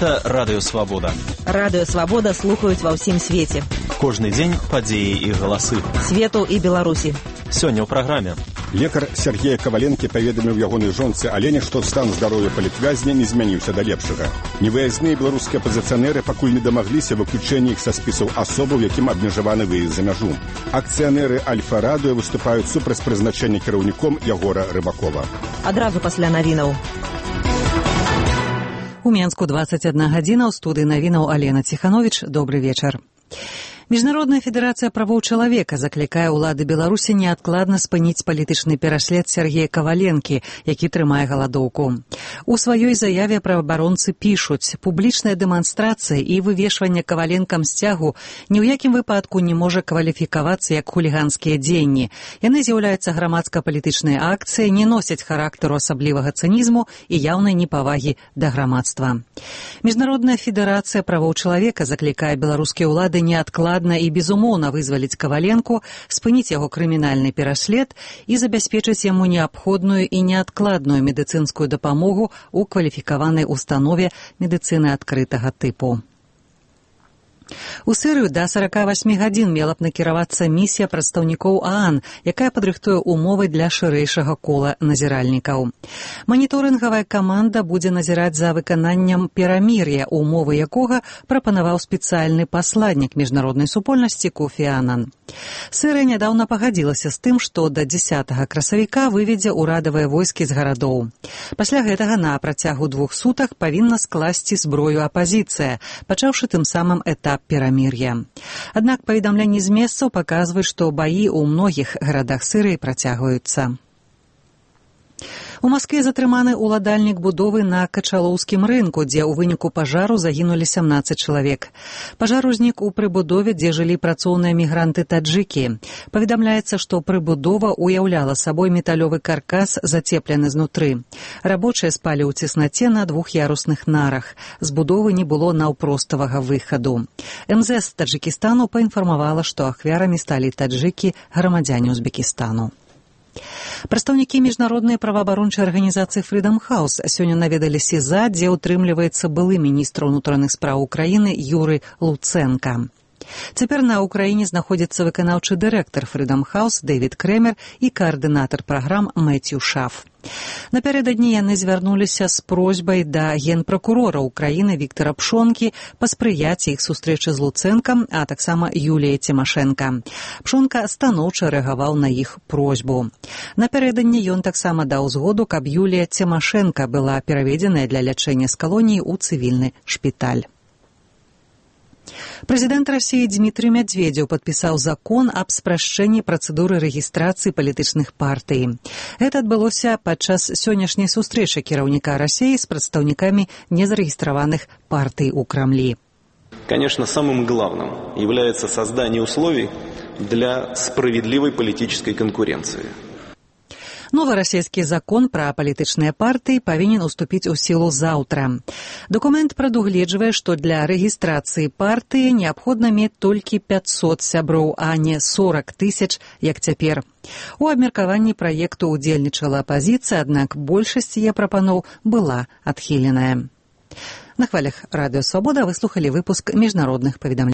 Гэта Радыё Свабода. Радыё Свабода слухаюць ва ўсім свеце. Кожны дзень падзеі і галасы. Свету і Беларусі. Сёння ў праграме. Лекар Сергея Каваленкі паведаміў ягонай жонцы Алене, што стан здароўя палітвязня не змяніўся да лепшага. Невыязныя беларускія апазіцыянеры пакуль не дамагліся выключэння іх са спісаў асобаў, якім абмежаваны выезд за мяжу. Акцыянеры Альфа-Радыё выступаюць супраць прызначэння кіраўніком Ягора Рыбакова. Адразу пасля навінаў. У Менску 21 гадзіна, ў студыі навінаў Алена Ціхановіч. Добры вечар. Міжнародная федэрацыя правоў чалавека заклікае ўлады Беларусі неадкладна спыніць палітычны пераслед Сергея Каваленкі, які трымае галадоўку. У сваёй заяве праваабаронцы пішуць: публічная дэманстрацыя і вывешванне Каваленкам сцягу ні ў якім выпадку не можа кваліфікавацца як хуліганскія дзеянні. Яны з'яўляюцца грамадска-палітычнай акцыяй, не носяць характару асаблівага цынізму і яўнай непавагі да грамадства. Міжнародная федэрацыя правоў чалавека заклікае беларускія ўлады неадкладна і безумоўна вызваліць Каваленку, спыніць яго крымінальны пераслед і забяспечыць яму неабходную і неадкладную медыцынскую дапамогу ў кваліфікаванай установе медыцыны адкрытага тыпу. У Сірыю да 48 гадзін мела б накіравацца місія прадстаўнікоў ААН, якая падрыхтуе умовы для шырэйшага кола назіральнікаў. Маніторынгавая каманда будзе назіраць за выкананнем перамір'я, умовы якога прапанаваў спецыяльны пасладнік міжнароднай супольнасці Кофі Анан. Сірыя нядаўна пагадзілася з тым, што да 10 красавіка выведзе ўрадавыя войскі з гарадоў. Пасля гэтага на працягу 2 сутак павінна скласці зброю апазіцыя, пачаўшы тым самым этап перамір'я. Аднак паведамленні з месцаў паказваюць, што баі ў многіх гарадах Сірыі працягваюцца. У Маскве затрыманы ўладальнік будовы на Качалоўскім рынку, дзе ў выніку пажару загінулі 17 чалавек. Пажар узнік у прыбудове, дзе жылі працоўныя мігранты-таджыкі. Паведамляецца, што прыбудова уяўляла сабой металёвы каркас, зацеплены знутры. Рабочыя спалі ў цеснаце на 2-ярусных нарах. З будовы не было наўпроставага выхаду. МЗС Таджыкістану паінфармавала, што ахвярамі сталі таджыкі, грамадзяне Узбекістану. Прадстаўнікі міжнароднай праваабарончай арганізацыі Freedom House сёння наведалі СІЗА, дзе ўтрымліваецца былы міністр унутраных спраў Украіны Юрый Луцэнка. Цяпер на Ўкраіне знаходзіцца выканаўчы дырэктар Freedom House Дэвід Крэмер і каардынатар праграм Мэцью Шаф. Напярэдадні яны звярнуліся з просьбай да генпракурора Украіны Віктара Пшонкі паспрыяць іх сустрэчы з Луцэнкам, а таксама Юліяй Цімашэнка. Пшонка станоўча рэагаваў на іх просьбу. Напярэдадні ён таксама даў згоду, каб Юлія Цімашэнка была пераведзеная для лячэння з калоніі ў цывільны шпіталь. Прэзідэнт Расіі Дмітрый Мядзведзеў падпісаў закон аб спрашчэнні працэдуры рэгістрацыі палітычных партый. Гэта адбылося падчас сённяшняй сустрэчы кіраўніка Расіі з прадстаўнікамі незарэгістраваных партый у Крамлі. Конечно, самым главным является создание условий для справедливой политической конкуренции. Новы расійскі закон пра палітычныя партыі павінен уступіць у сілу заўтра. Дакумент прадугледжвае, што для рэгістрацыі партыі неабходна мець толькі 500 сяброў, а не 40 000, як цяпер. У абмеркаванні праекту ўдзельнічала апазіцыя, аднак большасць яе прапаноў была адхіленая. На хвалях Радыё Свабода вы слухалі выпуск міжнародных паведамленняў.